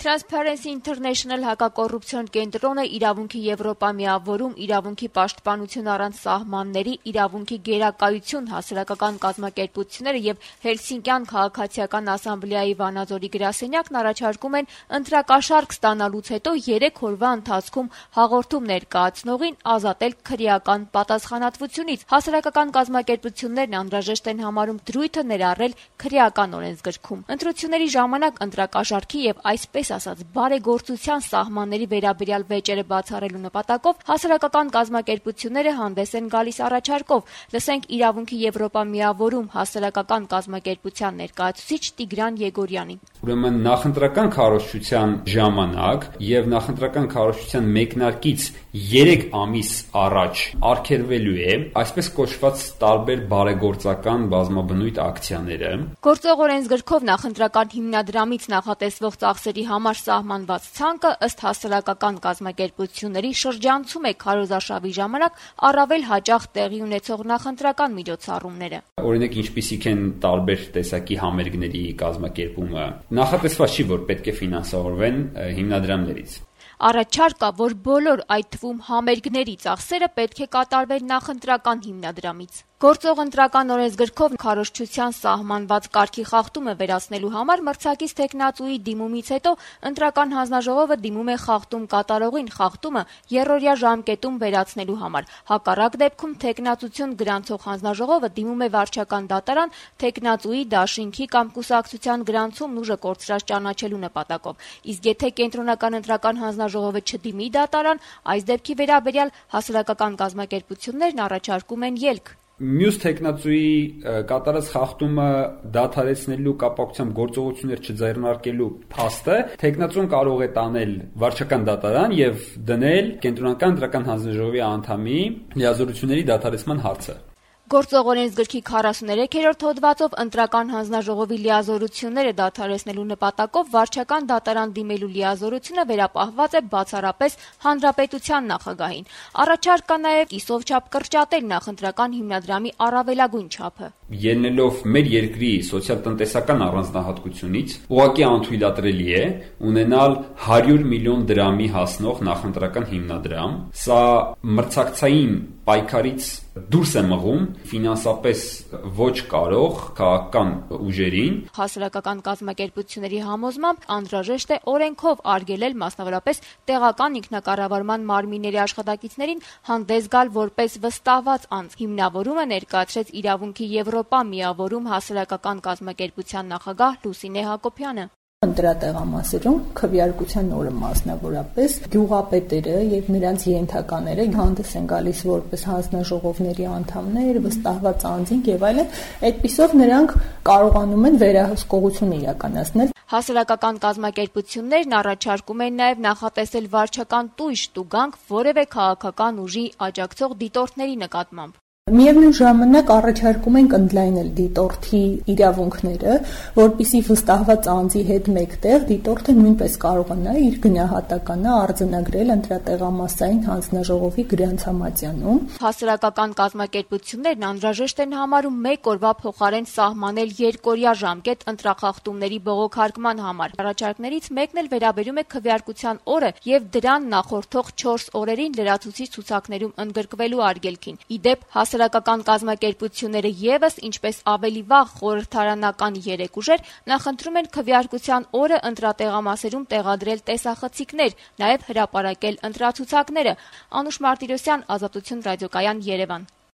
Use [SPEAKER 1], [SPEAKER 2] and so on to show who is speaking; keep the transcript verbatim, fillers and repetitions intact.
[SPEAKER 1] Transparency International հակակոռուպցիոն կենտրոնը իրավունքի Եվրոպա միավորում, իրավունքի պաշտպանություն առանց սահմանների, իրավունքի գերակայություն, հասարակական կազմակերպությունները եւ Հելսինկյան քաղաքացիական ասամբլեայի Վանաձորի գրասենյակն առաջարկում են ընտրակաշարք ստանալուց հետո երեք օրվա ընթացքում հաղորդում ներկայացնողին ազատել քրեական պատասխանատվությունից։ Հասարակական կազմակերպություններն անհրաժեշտ են համարում դրույթը ներառել քրեական օրենսգրքում։ Ընտրությունների ժամանակ ընտրակաշարքի եւ այսպես ասած բարեգործության սահմանների վերաբերյալ վեճերը բացառելու նպատակով հասարակական կազմակերպությունները հանդես են գալիս առաջարկով։ Լսենք իրավունքի Եվրոպա միավորում հասարակական կազմակերպության ներկայացուցիչ Տիգրան Եգորյանին։
[SPEAKER 2] Ուրեմն նախընտրական քարոզչության ժամանակ եւ նախընտրական քարոզչության մեկնարկից երեք ամիս առաջ արգելվելու է այսպես կոչված տարբեր բարեգործական բազմաբնույթ ակցիաները։
[SPEAKER 1] Գործող օրենսգրքով նախընտրական հիմնադրամից նախատեսվող ծախսերի համար սահմանված ցանկը ըստ հասարակական կազմակերպությունների շրջանցում է քարոզարշավի ժամանակ առավել հաճախ տեղի ունեցող նախընտրական միջոցառումները։
[SPEAKER 2] Օրինակ ինչպիսիք են տարբեր տեսակի համերգների կազմակերպումը։ Նախատեսված չի, որ պետք է ֆինանսավորվեն հիմնադրամներից։
[SPEAKER 1] Առաջարկ կա, որ բոլոր այդ թվում համերգների ծախսերը պետք է կատարվեն նախընտրական հիմնադրամից։ Գործող ընտրական օրենսգրքով քարոզչության սահմանված կարգի խախտումը վերացնելու համար մրցակից թեկնածուի դիմումից հետո ընտրական հանձնաժողովը դիմում է խախտում կատարողին խախտումը երրորդյա ժամկետում վերացնելու համար։ Հակառակ դեպքում թեկնածություն գրանցող հանձնաժողովը դիմում է վարչական դատարան թեկնածուի, դաշինքի կամ կուսակցության գրանցումն ուժը կորցրած ճանաչելու նպատակով։ Իսկ եթե կենտրոնական ընտրական հանձնաժողովը չդիմի դատարան, այս դեպքի վերաբերյալ հասարակական կազմակերպություններն առաջարկում են ելք։
[SPEAKER 2] Մյուս թեկնածուի կատարած խախտումը դադարեցնելու կապակցությամբ գործողություններ չձեռնարկելու փաստը թեկնածուն կարող է տանել վարչական դատարան եւ դնել կենտրոնական ընտրական հանձնաժողովի անդամի լիազորությունների դադարեցման հարցը։
[SPEAKER 1] Գործող օրենսգրքի քառասուներեքերորդ հոդվածով ընտրական հանձնաժողովի լիազորությունները դադարեցնելու նպատակով վարչական դատարան դիմելու լիազորությունը վերապահված է բացառապես հանրապետության նախագահին։ Առաջարկ կա նաև կիսով չափ կրճատել նախընտրական հիմնադրամի առավելագույն չափը։
[SPEAKER 2] Ելնելով մեր երկրի սոցիալ-տնտեսական առանձնահատկությունից, ուղղակի անթույլատրելի է ունենալ հարյուր միլիոն դրամի հասնող նախընտրական հիմնադրամ։ Սա մրցակցային պայքարից դուրս է մղում ֆինանսապես ոչ կարող քաղաքական ուժերին։
[SPEAKER 1] Հասարակական կազմակերպությունների համոզմամբ անհրաժեշտ է օրենքով արգելել մասնավորապես տեղական ինքնակառավարման մարմինների աշխատակիցներին հանդես գալ որպես վստահված անձ։ Հիմնավորումը ներկայացրեց իրավունքի Եվրոպա միավորում հասարակական կազմակերպության նախագահ Լուսինե Հակոբյանը։
[SPEAKER 3] Ընտրատեղամասերում քվեարկության օրը մասնավորապես գյուղապետերը եւ նրանց ենթակաները հանդես են գալիս որպես հանձնաժողովների անդամներ, վստահված անձինք եւ այլն, այդպիսով նրանք կարողանում են վերահսկողություն իրականացնել։
[SPEAKER 1] Հասարակական կազմակերպություններն առաջարկում են նաև նախատեսել վարչական տույժ տուգանք որևէ քաղաքական ուժի աջակցող դիտորդների նկատմամբ։
[SPEAKER 3] Միևնույն ժամանակ առաջարկում ենք ընդլայնել դիտորդի իրավունքները, որպեսզի վստահված անձի հետ մեկտեղ դիտորդը նույնպես կարողանա իր գնահատականը արձանագրել ընտրատեղամասային հանձնաժողովի գրանցամատյանում։
[SPEAKER 1] Հասարակական կազմակերպություններն անհրաժեշտ են համարում մեկ օրվա փոխարեն սահմանել երկօրյա ժամկետ ընտրախախտումների բողոքարկման համար։ Առաջարկներից մեկն էլ վերաբերում է քվեարկության օրը եւ դրան նախորդող չորս օրերին լրացուցիչ ցուցակներում ընդգրկվելու արգելքին։ Ի դեպ, հասարակական կազմակերպությունները եւս ինչպես ավելի վաղ խորհրդարանական երեք ուժեր նախընտրում են քվեարկության օրը ընտրատեղամասերում տեղադրել տեսախցիկներ, նաև հրապարակել ընտրացուցակները։ Անուշ Մարտիրոսյան, Ազատություն ռադիոկայան, Երևան։